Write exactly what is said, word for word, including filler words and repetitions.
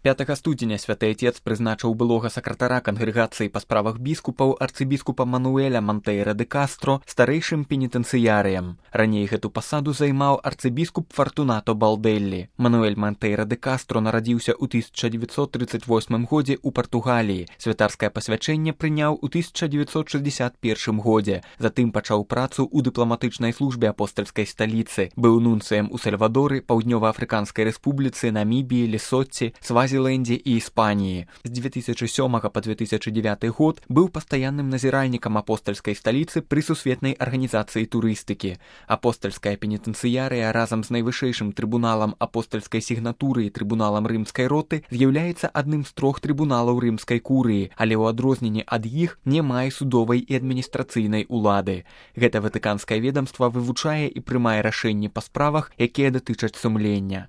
пятага студзеня святы Отец прызначыў былога сакратара кангрэгацыі па справах біскупаў арцыбіскупа Мануэля Монтейра де Кастро старэйшым пенітэнцыярыем. Раней гэту пасаду займаў арцыбіскуп Фартунато Балдэллі. Мануэль Монтейра де Кастро нарадзіўся ў тысяча дзевяцьсот трыццаць восьмым годзе ў Партугаліі. Святарскае пасвячэнне прыняў у тысяча дзевяцьсот шэсцьдзесят першым годзе. Затым пачаў працу ў дыпламатычнай службе апостальскай сталіцы. Быў нунцыем у Сальвадоры, Паўднёва-Афрыканскай рэспубліцы, Намібіі, Лесотце, Свазілендзе і Іспаніі. З дзве тысячы сёмага па две тысячы дзевяты год быў пастаянным назіральнікам апостальскай сталіцы пры сусветнай арганізацыі турыстыкі. Апостальская пенітэнцыярыя разам з найвышэйшым трыбуналам апостальскай сігнатуры і трыбуналам рымскай роты з'яўляецца адным з трох трыбуналаў рымскай курыі, але ў адрозненне ад іх не мае судовай і адміністрацыйнай улады. Гэта ватыканскае ведамства вывучае і прымае рашэнні па справах, якія датычаць сумлення.